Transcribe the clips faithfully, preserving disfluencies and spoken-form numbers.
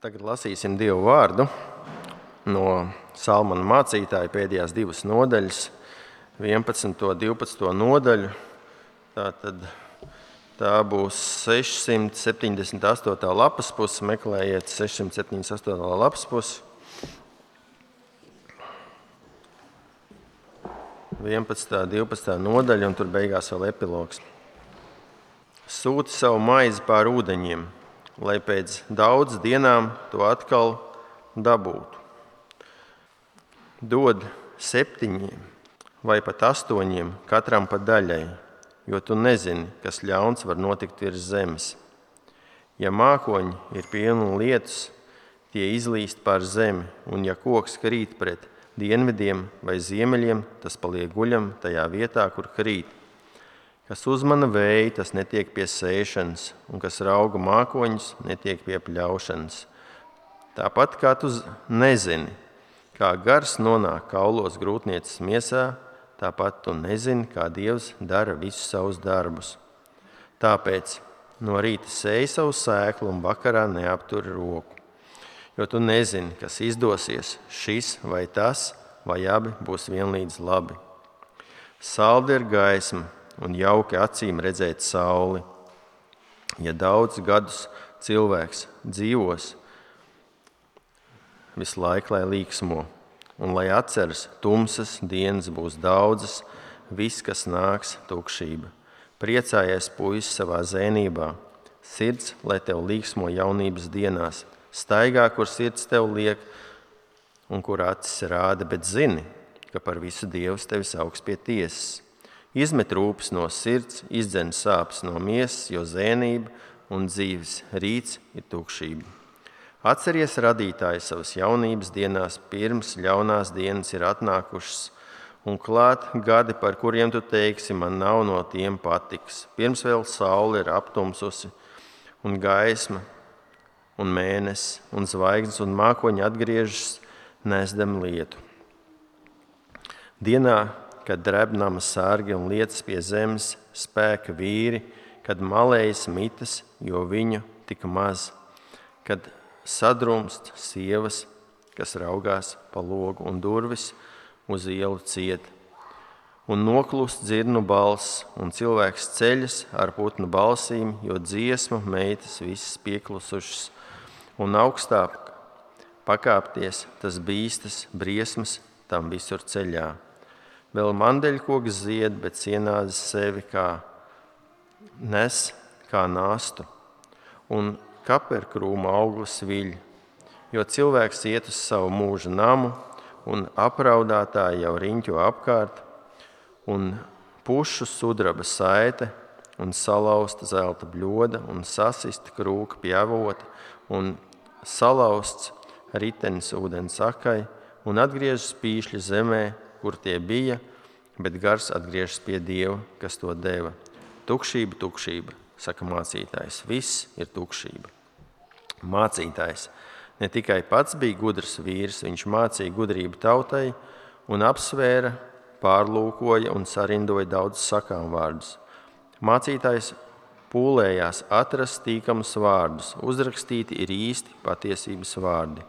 Tagad lasīsim Dievu vārdu no Salmana mācītāja pēdējās divas nodaļas, vienpadsmito, divpadsmito nodaļu. Tātad tā būs sešsimt septiņdesmit astotā lapas puse, meklējiet sešsimt septiņdesmit astotā lapas puse. vienpadsmitā, divpadsmitā nodaļa, un tur beigās vēl epilogs. Sūti savu maizi pār ūdeņiem, lai pēc daudz dienām to atkal dabūtu. Dod septiņiem vai pat astoņiem, katram pa daļai, jo tu nezini, kas ļauns var notikt virs zemes. Ja mākoņi ir pilni lietus, tie izlīst pār zemi, un ja koks krīt pret dienvidiem vai ziemeļiem, tas paliek guļam tajā vietā, kur krīt. Kas uzmana vēju, tas netiek pie sēšanas, un kas rauga mākoņus, netiek pie pļaušanas. Tāpat kā tu nezini, kā gars nonāk kaulos grūtnieces miesā, tāpat tu nezini, kā Dievs dara visus savus darbus. Tāpēc no rīta sēj savu sēklu un vakarā neaptur roku, jo tu nezini, kas izdosies, šis vai tas, vai abi būs vienlīdz labi. Saldi ir gaisma un jauki acīm redzēt sauli. Ja daudz gadus cilvēks dzīvos, visu laiku lai līksmo, un lai atceras, tumsas dienas būs daudzas, viss, kas nāks, tukšība. Priecājies, puisis, savā zēnībā, sirds, lai tev līksmo jaunības dienās, staigā, kur sirds tev liek un kur acis rāda, bet zini, ka par visu Dievs tevi sauks pie tiesas. Izmet rūpes no sirds, izdzen sāpes no miesas, jo zēnība un dzīves rīts ir tukšība. Atceries radītāju savas jaunības dienās, pirms ļaunās dienas ir atnākušas, un klāt gadi, par kuriem tu teiksi, man nav no tiem patiks. Pirms vēl saule ir aptumsusi, un gaisma, un mēnesis, un zvaigznes, un mākoņi atgriežas, nesdam lietu. Dienā, kad drebnama sargi un lietas pie zemes, spēka vīri, kad malējas mitas, jo viņu tik maz, kad sadrumst sievas, kas raugās pa logu un durvis uz ielu ciet, un noklust dzirnu balss, un cilvēks ceļas ar putnu balsīm, jo dziesmu meitas visas pieklusušas, un augstā pakāpties, tas bīstas, briesmas tam visur ceļā. Vēl mandeļkoks zied, bet cienādas sevi kā nes, kā nāstu, un kaperkrūma auglis viļ, jo cilvēks iet uz savu mūža namu, un apraudātāji jau riņķo apkārt, un pušu sudraba saite, un salauzta zelta bļoda, un sasista krūka pjavota, un salauzts ritenis ūdens akai, un atgriežas pīšļi zemē, kur tie bija, bet gars atgriežas pie Dieva, kas to deva. Tukšība, tukšība, saka mācītājs, viss ir tukšība. Mācītājs ne tikai pats bija gudrs vīrs, viņš mācīja gudrību tautai un apsvēra, pārlūkoja un sarindoja daudz sakām vārdus. Mācītājs pūlējās atrast tīkamus vārdus, uzrakstīti ir īsti patiesības vārdi.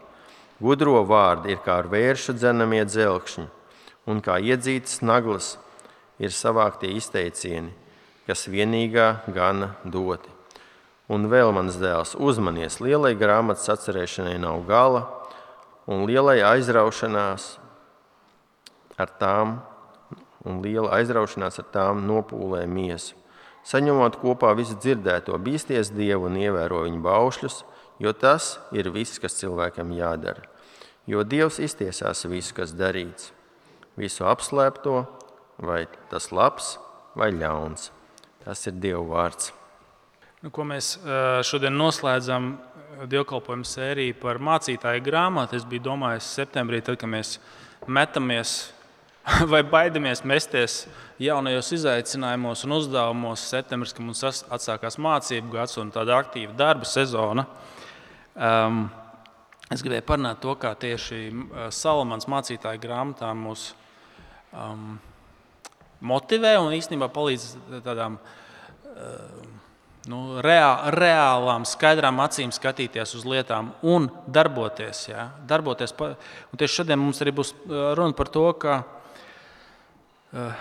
Gudro vārdi ir kā ar vēršu dzenamie dzelkšņi, un kā iedzītas naglas ir savāktie izteicieni, kas vienīgā gana doti. Un vēl, mans dēls, uzmanies, lielai grāmatas atcerēšanai nav gala, un lielai aizraušanās ar tām, un liela aizraušanās ar tām nopūlē miesu. Saņemot kopā visu dzirdēto, bīsties Dievu un ievēro viņa baušļus, jo tas ir viss, kas cilvēkam jādara. Jo Dievs iztiesās visu, kas darīts, visu apslēpto, vai tas labs vai ļauns. Tas ir Dieva vārds. Nu, ko mēs šodien noslēdzam dievkalpojumu sēriju par mācītāju grāmatu. Es biju domājis septembrī, tad, kad mēs metamies vai baidamies mesties jaunajos izaicinājumos un uzdevumos septembris, kad mums atsākās mācību gads un tāda aktīva darba sezona. Um, es gribēju parunāt to, kā tieši Salmans mācītāju grāmatā mūs um, motivē un īstenībā palīdz tādām uh, nu, reā, reālām, skaidrām acīm skatīties uz lietām un darboties. Ja? darboties pa, un tieši šodien mums arī būs runa par to, ka uh,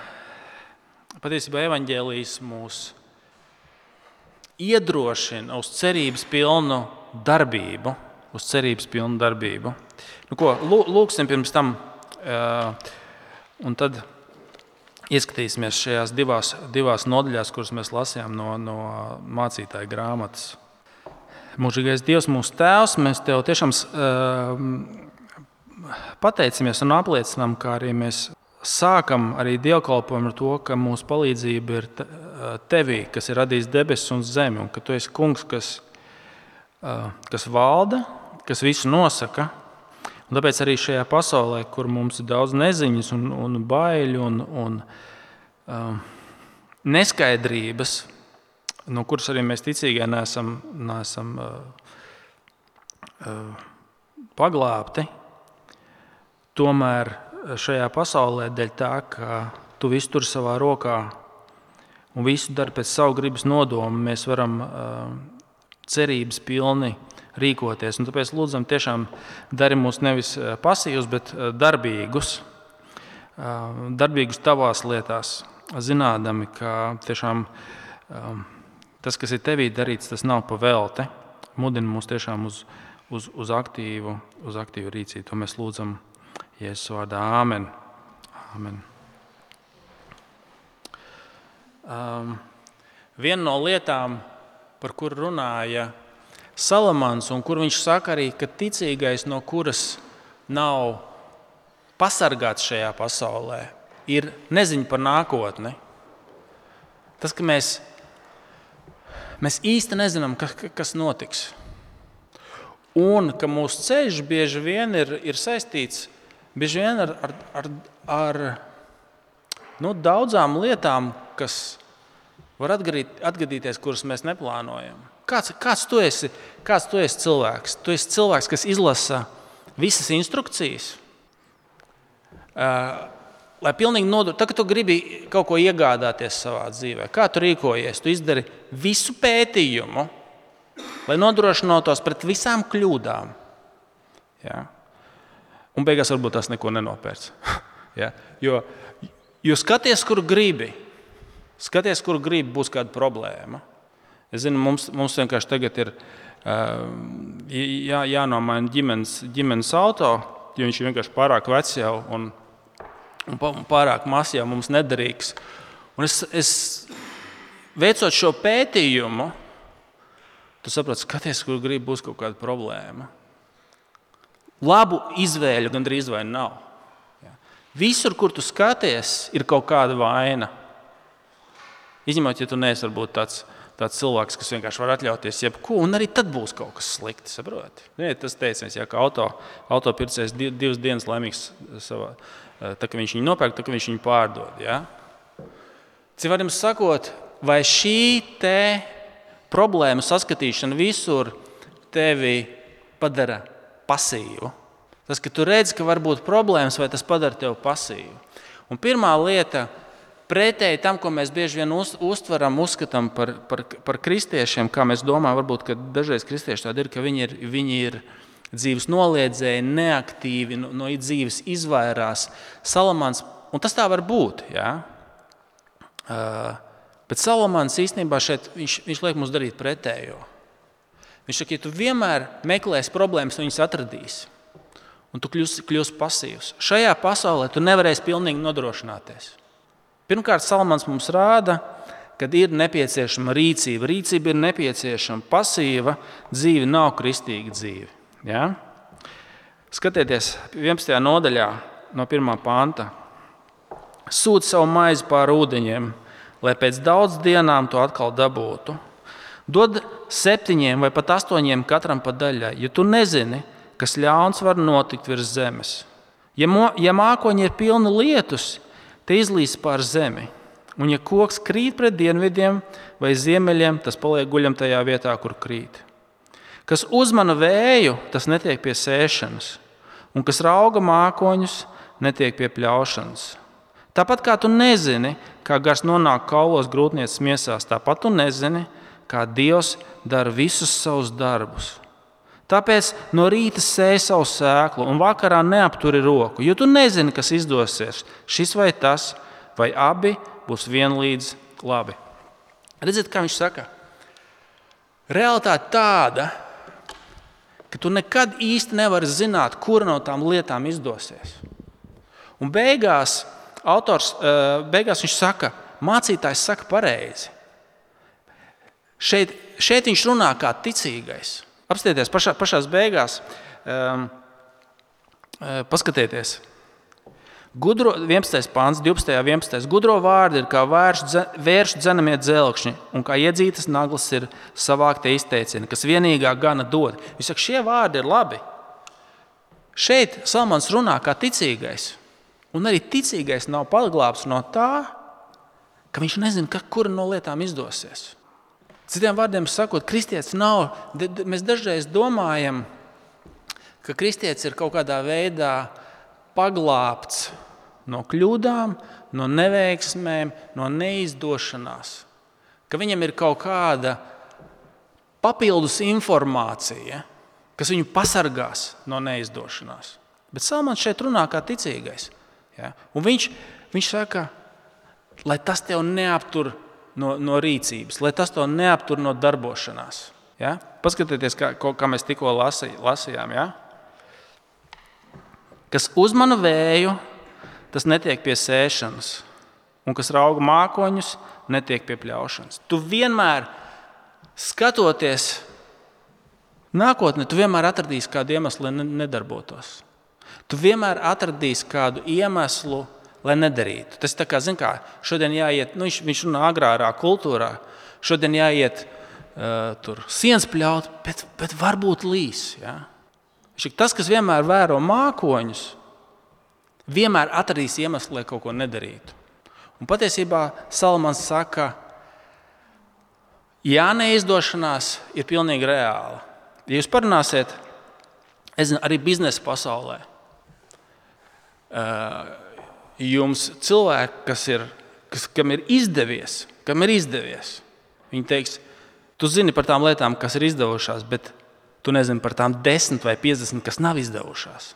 patiesībā evaņģēlijs mūs iedrošina uz cerības pilnu darbību. Uz cerības pilnu darbību. Nu, ko, lūksim pirms tam, uh, un tad ieskatīsimies šajās divās, divās nodaļās, kuras mēs lasījām no, no mācītāja grāmatas. Mūžīgais Dievs, mūsu Tēvs, mēs Tev tiešām uh, pateicamies un apliecinām, kā arī mēs sākam arī dievkalpojumu ar to, ka mūsu palīdzība ir Tevī, kas ir radījis debesis un zemi, un ka Tu esi kungs, kas, uh, kas valda, kas visu nosaka. Un tāpēc arī šajā pasaulē, kur mums ir daudz neziņas un, un baiļu un, un um, neskaidrības, no kuras arī mēs ticīgie neesam, neesam uh, uh, paglābti, tomēr šajā pasaulē dēļ tā, ka Tu visu tur savā rokā un visu dari pēc savu gribas nodomu, mēs varam uh, cerības pilni rīkoties. Un tāpēc lūdzam tiešām dari mūs nevis pasīvus, bet darbīgus. Darbīgus tavās lietās, zinādami, ka tiešām tas, kas ir tevī darīts, tas nav pa velti. Mudina mūs tiešām uz, uz, uz, aktīvu, uz aktīvu rīcību. To mēs lūdzam Jēzus vārdā. Āmen. Āmen. Um, viena no lietām, par kur runāja Salamans, un kur viņš saka arī, ka ticīgais, no kuras nav pasargāts šajā pasaulē, ir neziņa par nākotni. Tas, ka mēs, mēs īsti nezinām, kas, kas notiks. Un ka mūsu ceļš bieži vien ir, ir saistīts bieži vien ar, ar, ar, ar nu, daudzām lietām, kas var atgadīt, atgadīties, kuras mēs neplānojam. Kāds, kāds, tu esi, kāds tu esi cilvēks? Tu esi cilvēks, kas izlasa visas instrukcijas. Uh, lai pilnīgi nodot, tā, ka tu gribi kaut ko iegādāties savā dzīvē, kā tu rīkojies? Tu izdari visu pētījumu, lai nodrošinātos pret visām kļūdām. Ja? Un beigās varbūt tas neko nenopērts. Ja? Jo, jo skaties, kur gribi. Skaties, kur gribi, būs kāda problēma. Es zinu, mums, mums vienkārši tagad ir uh, jā, jānomaina ģimenes, ģimenes auto, jo viņš ir vienkārši pārāk vecs jau un, un pārāk mazs jau mums nederīgs. Un es, es veicot šo pētījumu, tu saproti, skaties, kur gribi, būs kaut kāda problēma. Labu izvēļu gandrīz vai nav. Ja. Visur, kur tu skaties, ir kaut kāda vaina. Izņemot, ja tu neesi varbūt tāds tāds cilvēks, kas vienkārši var atļauties jebko, un arī tad būs kaut kas slikti, saproti. Tas teiciens, ja, ka auto, autopircējs divas dienas laimīgs savā, tā, ka viņš viņu nopērk, tā, ka viņš viņu pārdod. Ja? Citādiem sakot, vai šī te problēma saskatīšana visur tevi padara pasīvu? Tas, ka tu redzi, ka var būt problēmas, vai tas padara tevi pasīvu? Un pirmā lieta, pretēji tam, ko mēs bieži vien uz, uztveram, uzskatām par, par, par kristiešiem, kā mēs domājam, varbūt, ka dažreiz kristieši tādi ir, ka viņi ir, viņi ir dzīves noliedzēji, neaktīvi, no, no dzīves izvairās. Salamans, un tas tā var būt, jā. Uh, bet Salamans īstenībā šeit, viņš, viņš liek mums darīt pretējo. Viņš saka, ja tu vienmēr meklēsi problēmas, viņas atradīsi, un tu kļūsi, kļūsi pasīvs. Šajā pasaulē tu nevarēsi pilnīgi nodrošināties. Pirmkārt, Salamans mums rāda, ka ir nepieciešama rīcība. Rīcība ir nepieciešama. Pasīva dzīve nav kristīga dzīve. Ja? Skatieties, vienpadsmitajā nodaļā no pirmā panta. Sūti savu maizi pāri ūdeņiem, lai pēc daudz dienām to atkal dabūtu. Dod septiņiem vai pat astoņiem katram pa daļai, jo tu nezini, kas ļauns var notikt virs zemes. Ja, mo, ja mākoņi ir pilni lietus, te izlīs pār zemi, un ja koks krīt pret dienvidiem vai ziemeļiem, tas paliek guļam tajā vietā, kur krīt. Kas uzmana vēju, tas netiek pie sēšanas, un kas rauga mākoņus, netiek pie pļaušanas. Tāpat kā tu nezini, kā gars nonāk kaulos grūtnieces miesās, tāpat tu nezini, kā Dievs dara visus savus darbus. Tāpēc no rīta sēj savu sēklu un vakarā neapturi roku, jo tu nezini, kas izdosies, šis vai tas, vai abi būs vienlīdz labi. Redziet, kā viņš saka? Realitāte tāda, ka tu nekad īsti nevari zināt, kura no tām lietām izdosies. Un beigās, autors, beigās viņš saka, mācītājs saka pareizi. Šeit, šeit viņš runā kā ticīgais. Apstieties pašā, pašās beigās, um, paskatieties. Gudro, vienpadsmitais pāns, divpadsmitais vienpadsmitais Gudro vārdi ir kā vēršu dzenamie dzelkšņi, un kā iedzītas naglas ir savāktie izteicieni, kas vienīgā gana dod. Viņš saka, šie vārdi ir labi. Šeit Salmans runā kā ticīgais, un arī ticīgais nav paglābts no tā, ka viņš nezina, kura no lietām izdosies. Citiem vārdiem sakot, kristietis nav, mēs dažreiz domājam, ka kristietis ir kaut kādā veidā paglābts no kļūdām, no neveiksmēm, no neizdošanās. Ka viņam ir kaut kāda papildus informācija, kas viņu pasargās no neizdošanās. Bet Salmans šeit runā kā ticīgais. Ja? Un viņš, viņš saka, lai tas tev neaptur No, no rīcības, lai tas to neaptur no darbošanās. Ja? Paskatieties, kā, kā mēs tikko lasi, lasījām. Ja? Kas uzmana vēju, tas netiek pie sēšanas, un kas rauga mākoņus, netiek pie pļaušanas. Tu vienmēr, skatoties nākotnē, tu vienmēr atradīsi kādu iemeslu, lai nedarbotos. Tu vienmēr atradīsi kādu iemeslu, lai nedarītu. Tas tā kā, zin kā, šodien jāiet, nu viņš, viņš runā agrārā kultūrā, šodien jāiet uh, tur sienas pļaut, bet, bet varbūt līs. Ja? Tas, kas vienmēr vēro mākoņus, vienmēr atradīs iemeslu, lai kaut ko nedarītu. Un patiesībā Salmans saka, jā, neizdošanās ir pilnīgi reāla. Ja jūs parunāsiet, es zinu, arī biznesa pasaulē, uh, jums cilvēki, kas ir, kas, kam ir izdevies, kam ir izdevies, viņi teiks, tu zini par tām lietām, kas ir izdevušās, bet tu nezini par tām desmit vai piecdesmit, kas nav izdevušās.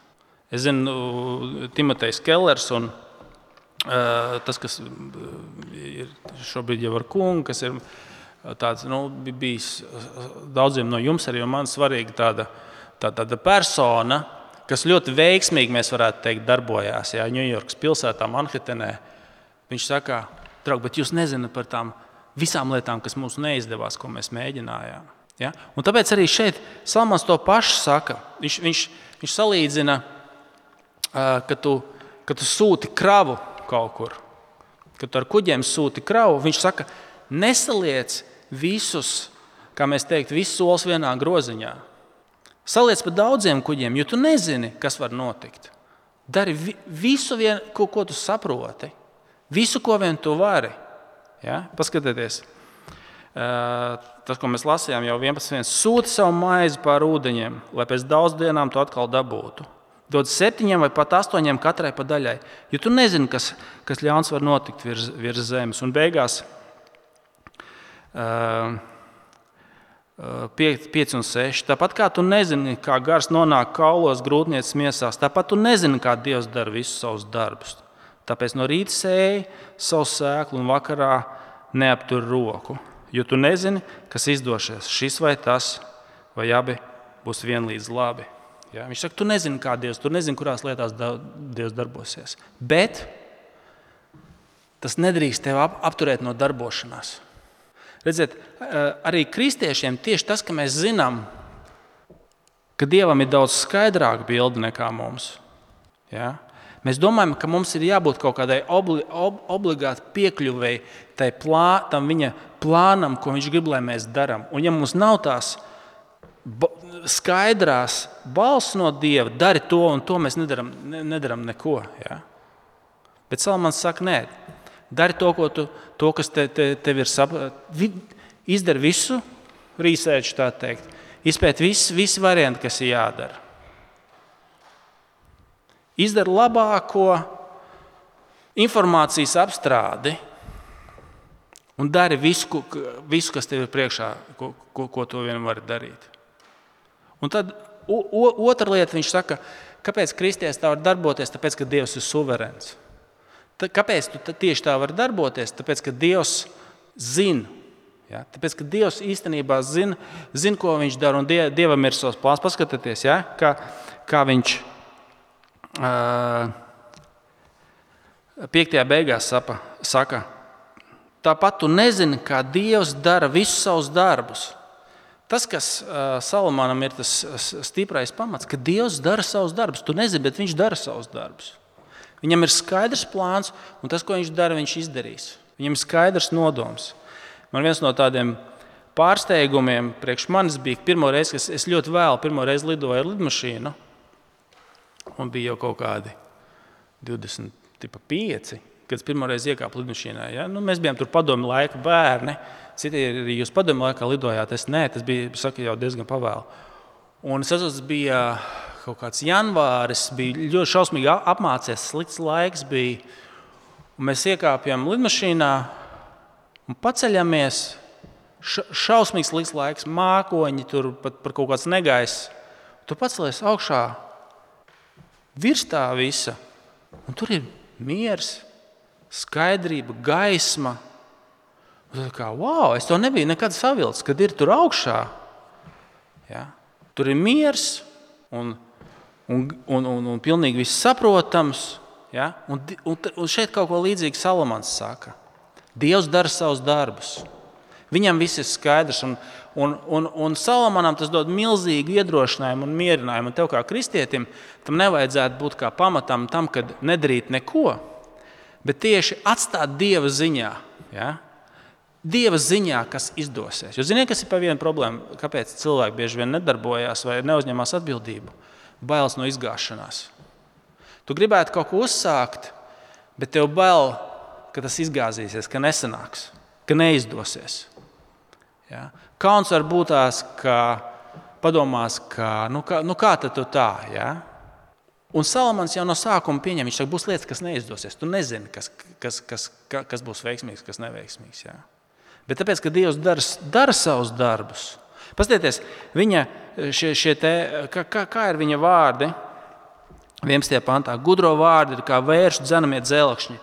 Es zinu, Timotejs Kellers un uh, tas, kas ir šobrīd jau ar kungu, kas ir tāds, nu, bijis daudziem no jums arī, un man svarīga tāda, tā, tāda persona, kas ļoti veiksmīgi, mēs varētu teikt, darbojās. Jā, Ņujorkas pilsētā, Manhetenē. Viņš saka, draug, bet jūs nezināt par tām visām lietām, kas mums neizdevās, ko mēs mēģinājām. Ja? Un tāpēc arī šeit Salmans to pašu saka. Viņš, viņš, viņš salīdzina, ka tu, ka tu sūti kravu kaut kur, kad tu ar kuģiem sūti kravu. Viņš saka, nesaliec visus, kā mēs teikt, visus solis vienā groziņā. Saliec pa daudziem kuģiem, jo tu nezini, kas var notikt. Dari visu, vien, ko, ko tu saproti. Visu, ko vien tu vari. Ja? Paskatieties. Uh, tas, ko mēs lasījām jau vienpadsmit. Sūti savu maizi pār ūdeņiem, lai pēc daudz dienām tu atkal dabūtu. Dod septiņiem vai pat astoņiem katrai pa daļai. Jo tu nezini, kas, kas ļauns var notikt virs, virs zemes. Un beigās uh, pieci un seši. Tāpat kā tu nezini, kā gars nonāk kaulos grūtnieces miesās, tāpat tu nezini, kā Dievs dara visus savus darbus. Tāpēc no rīta sēj savu sēklu un vakarā neaptur roku, jo tu nezini, kas izdosies, šis vai tas, vai abi būs vienlīdz labi. Ja? Viņš saka, tu nezini, kā Dievs, tu nezini, kurās lietās Dievs darbosies. Bet tas nedrīkst tev apturēt no darbošanās. Redziet, arī kristiešiem tieši tas, ka mēs zinām, ka Dievam ir daudz skaidrāka bilde nekā mums. Ja? Mēs domājam, ka mums ir jābūt kaut kādai obli, ob, obligāti piekļuvēji tai plā, tam viņa plānam, ko viņš grib, lai mēs darām. Un ja mums nav tās ba- skaidrās balss no Dieva, dari to un to, mēs nedaram, ne, nedaram neko. Ja? Bet Salmans saka, nē. Dari to, ko tu, to kas te, te, tev ir saprotams. Izdari visu, research, tā teikt. Izpēt visi, visi varianti, kas ir jādara. Izdari labāko informācijas apstrādi Un dari visu, visu kas tev ir priekšā, ko, ko, ko tu vien vari darīt. Un tad o, o, otra lieta, viņš saka, kāpēc kristietis tā var darboties? Tāpēc, ka Dievs ir suverēns. Tā, kāpēc tu tieši tā var darboties? Tāpēc, ka Dievs zina. Ja? Tāpēc, ka Dievs īstenībā zina, zina ko viņš dara, un die, Dievam ir savs plāns. Paskatieties, ja? kā, kā viņš uh, piektajā beigās sapa, saka, tāpat tu nezini, kā Dievs dara visus savus darbus. Tas, kas uh, Salamonam ir tas stiprais pamats, ka Dievs dara savus darbus. Tu nezini, bet viņš dara savus darbus. Viņam ir skaidrs plāns, un tas, ko viņš dara, viņš izdarīs. Viņam ir skaidrs nodoms. Man viens no tādiem pārsteigumiem priekš manis bija pirmo reizi, ka es ļoti vēlu pirmo reizi lidoju ar lidmašīnu, un bija jau kaut kādi divdesmit pieci, kad es pirmo reizi iekāpu lidmašīnā. Ja? Nu, mēs bijām tur padomju laika bērni. Citi arī jūs padomju laikā lidojāt, es nē, tas bija saka, jau diezgan pavēlu. Un es atceros, tas bija kaut kāds janvāris, bija ļoti šausmīgi apmācies, slikts laiks bija. Un mēs iekāpjam lidmašīnā un paceļamies, šausmīgs slikts laiks, mākoņi, tur pat par kaut kāds negaiss. Tu pacelies augšā virs tā visa, un tur ir miers, skaidrība, gaisma. Un kā, wow, es to nebiju nekad savilcis, kad ir tur augšā. Ja? Tur ir miers un, un, un, un, un pilnīgi viss saprotams. Ja? Un, un, un šeit kaut ko līdzīgi Salamans saka. Dievs dara savus darbus. Viņam viss ir skaidrs. Un, un, un, un Salamanam tas dod milzīgu iedrošinājumu un mierinājumu. Un tev kā kristietim tam nevajadzētu būt kā pamatam tam, kad nedarīt neko, bet tieši atstāt Dieva ziņā. Ja? Dieva ziņā, kas izdosies. Jo ziniet, kas ir pa vienu problēmu? Kāpēc cilvēki bieži vien nedarbojās vai neuzņemās atbildību? Bailes no izgāšanās. Tu gribētu kaut ko uzsākt, bet tev bail, ka tas izgāzīsies, ka nesanāks, ka neizdosies. Ja? Kauns var būt tās, ka padomās, ka nu kā, nu kā tad tu tā, ja? Un Salamans jau no sākuma pieņem, viņš saka, būs lietas, kas neizdosies. Tu nezini, kas, kas, kas, kas būs veiksmīgs, kas neveiksmīgs. Ja? Bet tāpēc, ka Dievs dara, dara savus darbus. Paskatieties, viņa šie, šie te, kā, kā ir viņa vārdi, vienpadsmitajā pantā, gudro vārdi ir kā vēršu dzenamie dzelkšņi.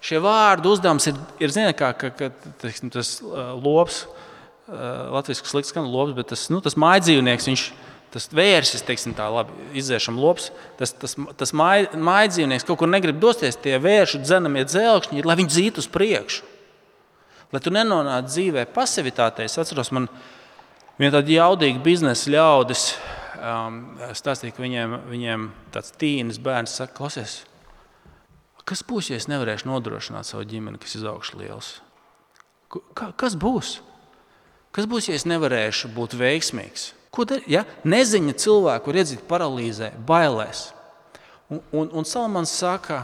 Šie vārdu uzdevums ir, ir ziniet, kā, ka, ka teiksim, tas uh, lops, uh, latviski slikts skan lops, bet tas, nu, tas mājdzīvnieks, viņš, tas vērsis, teiksim tā labi, izdzēšam lops, tas, tas, tas māj, mājdzīvnieks kaut kur negrib dosties, tie vēršu dzenamie dzelkšņi, lai viņi dzītu uz priekšu. Lai tu nenonāc dzīvē pasivitātei. Es atceros, man viena tāda jaudīga biznesa ļaudis um, stāstīja, ka viņiem, viņiem tāds tīnis bērns saka, klausies, kas būs, ja es nevarēšu nodrošināt savu ģimeni, kas izaugšu liels? Ka, kas būs? Kas būs, ja es nevarēšu būt veiksmīgs? Ko dar? Ja? Neziņa cilvēku var iedzīt paralīzē, bailēs. Un, un, un Salamans saka,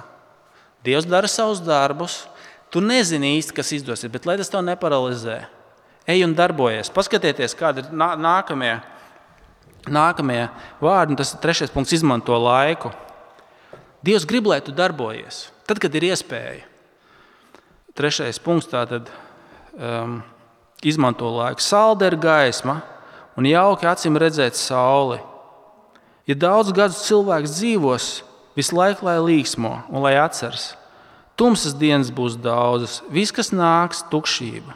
Dievs dara savus darbus, tu nezini īsti, kas izdosies, bet lai tas tev neparalizē. Ej un darbojies. Paskatieties, kādi ir nākamie, nākamie vārdi, un tas ir trešais punkts, izmanto laiku. Dievs grib, lai tu darbojies, tad, kad ir iespēja. Trešais punkts tātad um, izmanto laiku. Salda ir gaisma un jauki acīm redzēt sauli. Ja daudz gadus cilvēks dzīvos, visu laiku lai līksmo un lai atceras. Tumsas dienas būs daudzas, viss, kas nāks, tukšība.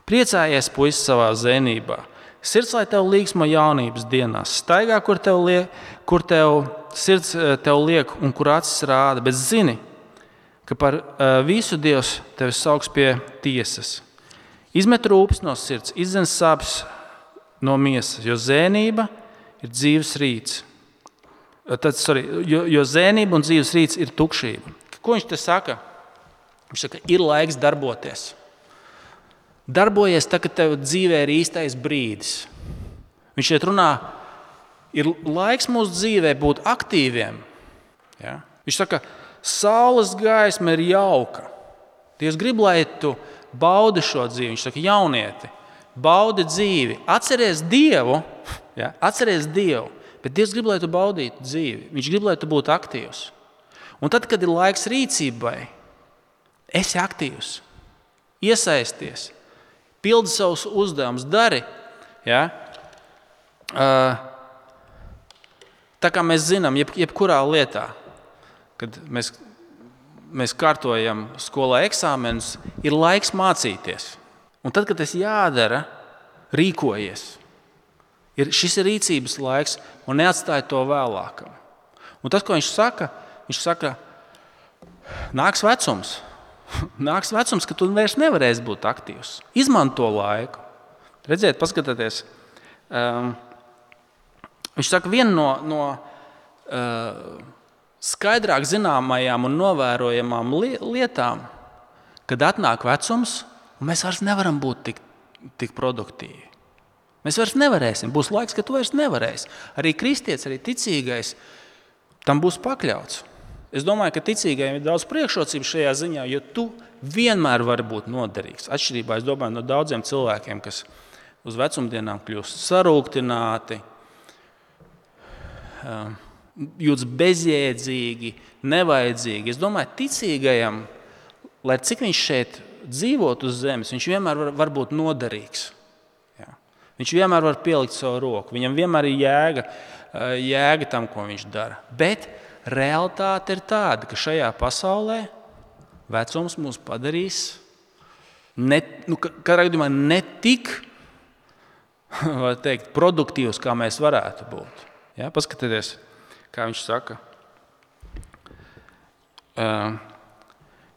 Priecājies, puisis, savā zenībā. Sirds, lai tev līksmo jaunības dienās. Staigā, kur tev, liek, kur tev sirds tev liek un kur acis rāda, bet zini, ka par uh, visu Dievs tevi sauks pie tiesas. Izmet rūpes no sirds, izdzen sāpes no miesas, jo zēnība ir dzīves rīts. Tad, sorry, jo, jo zēnība un dzīves rīts ir tukšība. Ko viņš te saka? Viņš saka, ir laiks darboties. Darbojies tā, kad tev dzīvē ir īstais brīdis. Viņš šeit runā, ir laiks mūsu dzīvē būt aktīviem. Ja? Viņš saka, saules gaisma ir jauka. Dievs grib, lai tu baudi šo dzīvi. Viņš saka, jaunieti, baudi dzīvi. Atceries Dievu, ja? Atceries Dievu, bet Dievs grib, lai tu baudītu dzīvi. Viņš grib, lai tu būtu aktīvs. Un tad, kad ir laiks rīcībai, esi aktīvs. iesaisties, pildi savus uzdevumus, dari. Ja? Tā kā mēs zinām, jeb, jebkurā lietā, kad mēs, mēs kārtojam skolā eksāmenus, ir laiks mācīties. Un tad, kad tas jādara, rīkojies. Ir, šis ir rīcības laiks un neatstāj to vēlākam. Un tas, ko viņš saka, viņš saka, nāks vecums. Nāks vecums, ka tu vairs nevarēsi būt aktīvs. Izmanto laiku. Redziet, paskatieties. Um, viņš saka, viena no, no uh, skaidrāk zināmajām un novērojamām lietām, kad atnāk vecums, un mēs vairs nevaram būt tik, tik produktīvi. Mēs vairs nevarēsim. Būs laiks, ka tu vairs nevarēsi. Arī kristietis, arī ticīgais tam būs pakļauts. Es domāju, ka ticīgajiem ir daudz priekšrocību šajā ziņā, jo tu vienmēr vari būt noderīgs. Atšķirībā, es domāju, no daudziem cilvēkiem, kas uz vecumdienām kļūst sarūktināti, jūtas bezjēdzīgi, nevajadzīgi. Es domāju, ticīgajam, lai cik viņš šeit dzīvot uz zemes, viņš vienmēr var, var būt noderīgs. Jā. Viņš vienmēr var pielikt savu roku. Viņam vienmēr ir jēga, jēga tam, ko viņš dara. Bet realitāte ir tāda, ka šajā pasaulē vecums mūs padarīs ne, nu, kādā gadījumā ne tik var teikt, produktīvs, kā mēs varētu būt. Ja? Paskatieties, kā viņš saka. Uh,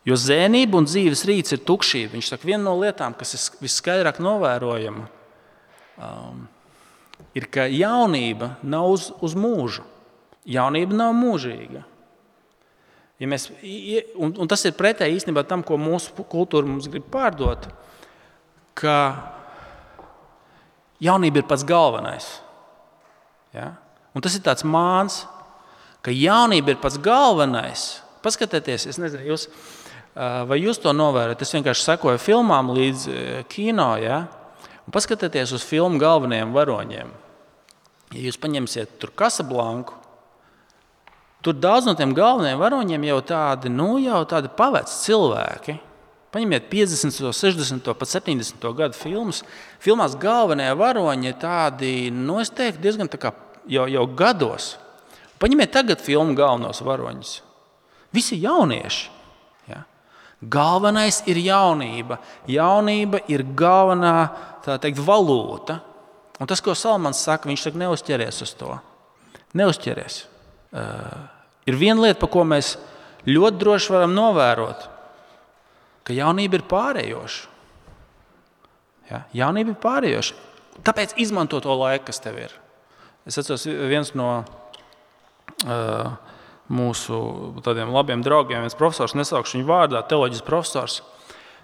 jo zēnība un dzīves rīts ir tukšība. Viņš saka, viena no lietām, kas ir visskaidrāk novērojama, um, ir, ka jaunība nav uz, uz mūžu. Jaunība nav mūžīga. Ja mēs, un, un tas ir pretēji īstenībā tam, ko mūsu kultūra mums grib pārdot, ka jaunība ir pats galvenais. Ja? Un tas ir tāds māns, ka jaunība ir pats galvenais. Paskatieties, es nezinu, jūs, vai jūs to novērojat. Es vienkārši sekoju filmām līdz kino, ja? Un paskatieties uz filmu galvenajiem varoņiem. Ja jūs paņemsiet tur Casablanku, tur daudz no tiem galvenajiem varoņiem jau tādi, nu, jau tādi paveci cilvēki. Paņemiet piecdesmito, sešdesmito, pat septiņdesmito gadu filmas. Filmās galvenie varoņi ir tādi, nu, es teiktu, diezgan tā kā jau, jau gados. Paņemiet tagad filmu galvenos varoņus. Visi jaunieši. Ja? Galvenais ir jaunība. Jaunība ir galvenā, tā teikt, valūta. Un tas, ko Salmans saka, viņš saka, neuzķeries uz to. Neuzķeries. Uh, ir viena lieta, par ko mēs ļoti droši varam novērot, ka jaunība ir pārējoša. Ja? Jaunība ir pārējoša. Tāpēc izmanto to laiku, kas tev ir. Es atceros viens no uh, mūsu tādiem labiem draugiem, viens profesors, nesaukšu viņu vārdā, teoloģijas profesors.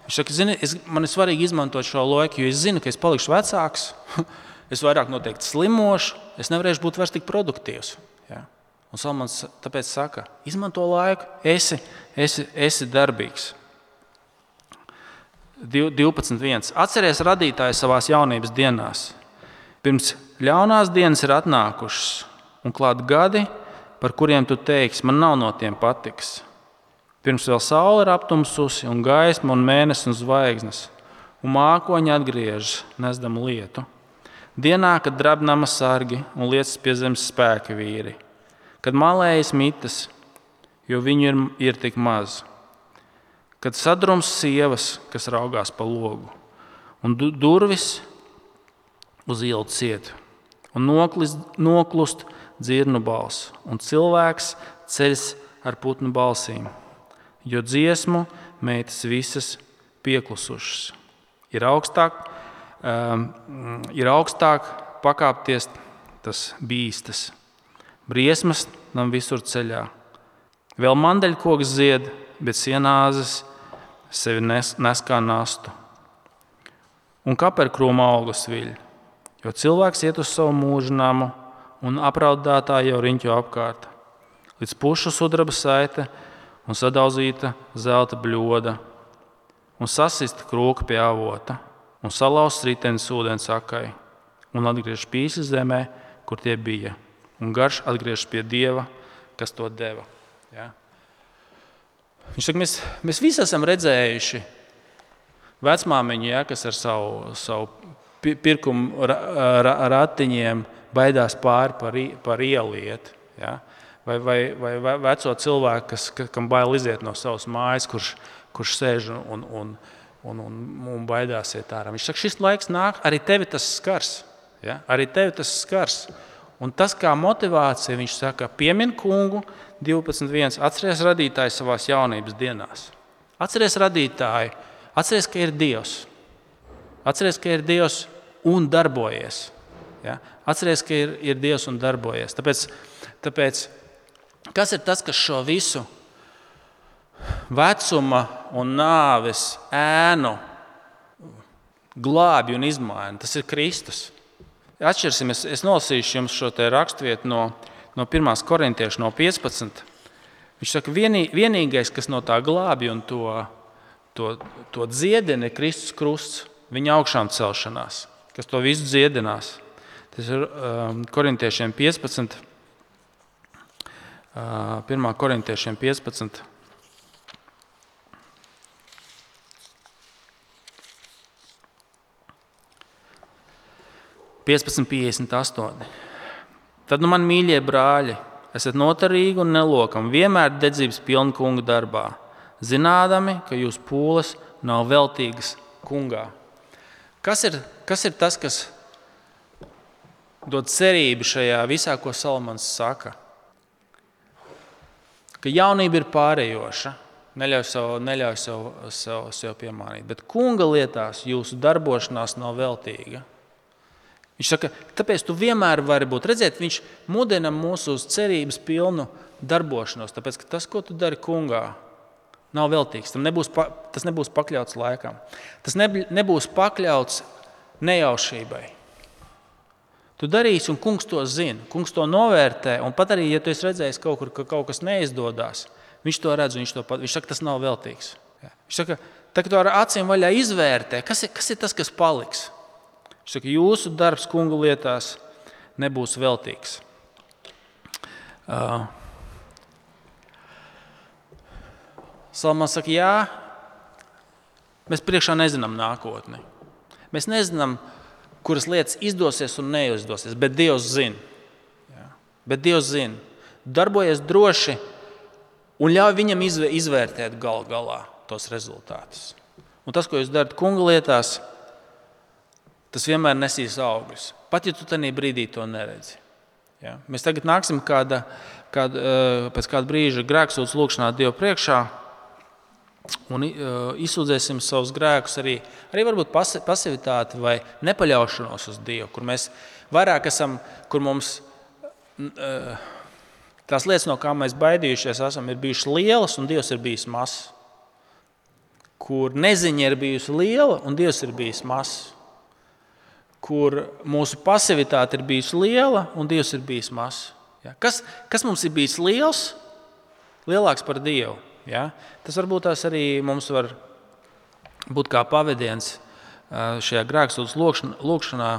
Viņš saka, zini, es, man ir svarīgi izmantot šo laiku, jo es zinu, ka es palikšu vecāks, es vairāk noteikti slimošu, es nevarēšu būt vairs tik produktīvs. Ja? Un Salmans tāpēc saka, izmanto laiku, esi, esi, esi darbīgs. divpadsmit viens. Atceries radītāju savās jaunības dienās. Pirms ļaunās dienas ir atnākušas un klāt gadi, par kuriem tu teiksi, man nav no tiem patiks. Pirms vēl saule ir aptumsusi un gaisma un mēnesis un zvaigznes, un mākoņi atgriežas, nesdam lietu. Dienā, kad drabnama sargi un lietas pie zemes spēka vīri, kad malējas mitas, jo viņu ir, ir tik maz, kad sadrums sievas, kas raugās pa logu, un du- durvis uz ielu ciet, un noklist, noklust dzirnu balss, un cilvēks ceļas ar putnu balsīm, jo dziesmu meitas visas pieklusušas. Ir augstāk, um, ir augstāk pakāpties, tas bīstas. Briesmas nam visur ceļā. Vēl mandeļkoks zied, bet sienāzes sevi nes, nes kā nastu. Un kaperkrūma auglis viļ, jo cilvēks iet uz savu mūžu namu un apraudātā jau riņķo apkārt. Līdz pušu sudraba saite un sadauzīta zelta bļoda un sasista krūka pie avota un salauzts ritenis ūdens akai un atgriež pīsi zemē, kur tie bija. Un garš atgriežas pie Dieva, kas to deva. Ja? Viņš saka, mēs, mēs visi esam redzējuši vecmāmiņa, ja, kas ar savu, savu pirkumu ratiņiem baidās pāri par, par ielu iet. Ja? Vai, vai, vai veco cilvēku, kas, kam bail iziet no savas mājas, kurš, kurš sēž un, un, un, un, un baidās iet ārā. Viņš saka, šis laiks nāk, arī tevi tas skars. Ja? Arī tevi tas skars. Un tas kā motivācija, viņš saka, piemin kungu, divpadsmit viens, atceries radītāju savās jaunības dienās. Atceries radītāju, atceries, ka ir Dievs. Atceries, ka ir Dievs un darbojies. Ja? Atceries, ka ir, ir Dievs un darbojies. Tāpēc, tāpēc, kas ir tas, kas šo visu vecuma un nāves ēnu glābi un izmaina? Tas ir Kristus. Atšķirsim, es, es nolasīšu jums šo te rakstvietu no, no pirmās korintiešu, no piecpadsmit. Viņš saka, vienī, vienīgais, kas no tā glābi un to, to, to dziedina, ir Kristus krusts, viņa augšām celšanās, kas to visu dziedinās. Tas ir um, korintiešiem piecpadsmit, uh, pirmā korintiešiem piecpadsmit. piecpadsmit piecdesmit astoņi. Tad nu man mīļie brāļi, esat notarīgi un nelokami, vienmēr dedzības pilni kunga darbā, zinādami, ka jūs pūles nav veltīgas kungā. Kas ir, kas ir tas, kas dod cerību šajā visā, ko Salamans saka? Ka jaunība ir pārējoša, neļauj sev, neļauj sev, sev, sev piemānīt, bet kunga lietās jūsu darbošanās nav veltīga. Viņš saka, tāpēc tu vienmēr vari būt. Redziet, viņš mudina mūsu uz cerības pilnu darbošanos, tāpēc, ka tas, ko tu dari kungā, nav veltīgs. Tam nebūs, tas nebūs pakļauts laikam. Tas nebūs pakļauts nejaušībai. Tu darīsi, un kungs to zina. Kungs to novērtē, un pat arī, ja tu esi redzējis kaut kur, ka kaut kas neizdodas, viņš to redz, un viņš to pat, viņš saka, tas nav veltīgs. Viņš saka, tā, ka tu ar acīm vaļā izvērtē, kas ir, kas ir tas, kas paliks. Viņš saka, jūsu darbs kungu lietās nebūs veltīgs. Uh, Salamans saka, jā, mēs priekšā nezinām nākotni. Mēs nezinām, kuras lietas izdosies un neizdosies, bet Dievs zina. Jā. Bet Dievs zina. Darbojies droši un ļauj viņam izvērtēt gal galā tos rezultātus. Un tas, ko jūs darat kunga lietās, tas vienmēr nesīs augļus. Pat, ja tu tajā brīdī to neredzi. Ja? Mēs tagad nāksim kāda, kāda, pēc kāda brīža grēksūdzes lūgšanā Dievu priekšā un izsūdzēsim savus grēkus arī, arī varbūt pasivitāti vai nepaļaušanos uz Dievu, kur mēs vairāk esam, kur mums tās lietas, no kā mēs baidījušies esam, ir bijušas lielas un Dievs ir bijis mazs. Kur neziņa ir bijusi liela un Dievs ir bijis mazs. Kur mūsu pasivitāte ir bijusi liela un Dievs ir bijis mazs. Ja? Kas, kas mums ir bijis liels? Lielāks par Dievu. Ja? Tas varbūt tās arī mums var būt kā pavediens šajā grēksūdzes lūgšanā,